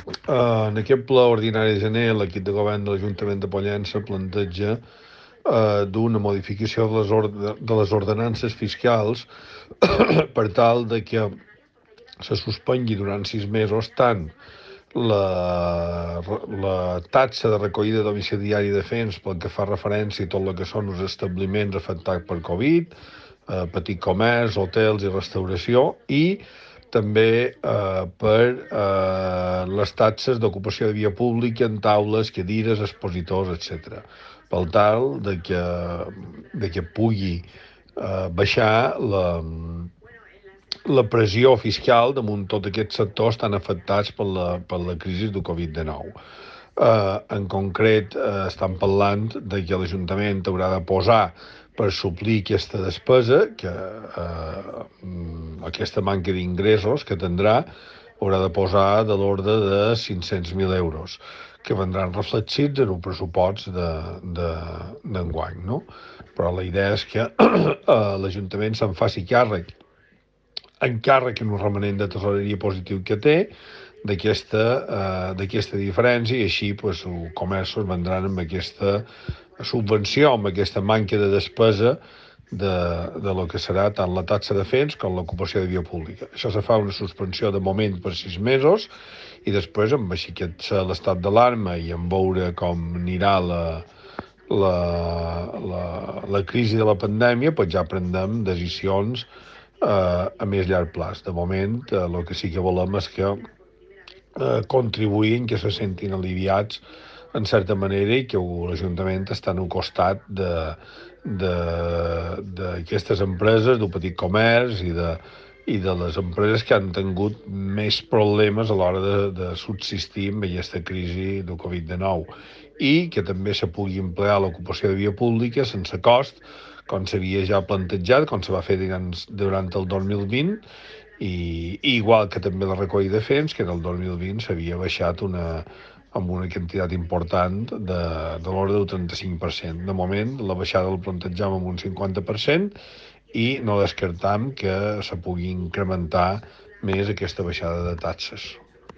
En aquest ple ordinari de gener, l'equip de govern de l'Ajuntament de Pollença planteja d'una modificació de les ordenances fiscals per tal de que se suspengui durant 6 mesos tant la taxa de recollida domiciliària de béns pel que fa referència a tot el que són els establiments afectats per Covid, petit comerç, hotels i restauració, i també per les taxes d'ocupació de via pública en taules, cadires, expositors, etc. Per tal de que pugui baixar la pressió fiscal damunt tots aquests sectors tan afectats per la crisi de Covid-19. En concret, estan parlant de que l'Ajuntament haurà de posar per suplir aquesta despesa, aquesta manca d'ingressos que tindrà, haurà de posar de l'ordre de 500.000 euros, que vendran reflectits en un pressupost d'enguany, no? Però la idea és que l'Ajuntament se'n faci càrrec en un remanent de tesoreria positiu que té d'aquesta diferència, i així pues, els comerços vendran amb aquesta subvenció, amb aquesta manca de despesa de lo que serà tant la taxa de fets com l'ocupació de via pública. Això se fa una suspensió de moment per 6 mesos i després, amb així que l'estat d'alarma i en veure com anirà la crisi de la pandèmia, pues ja prendrem decisions a més llarg plaç. De moment, el que sí que volem és que contribuïn, que se sentin aliviats en certa manera i que l'Ajuntament està al costat d'aquestes empreses, del petit comerç i de les empreses que han tingut més problemes a l'hora de subsistir amb aquesta crisi del Covid-19 i que també se pugui emplear l'ocupació de via pública sense cost, com s'havia ja plantejat, com se va fer durant el 2020, i igual que també la recollida de fems, que en el 2020 s'havia baixat amb una quantitat important de l'ordre del 35%. De moment, la baixada la plantejam amb un 50% i no descartam que se pugui incrementar més aquesta baixada de taxes.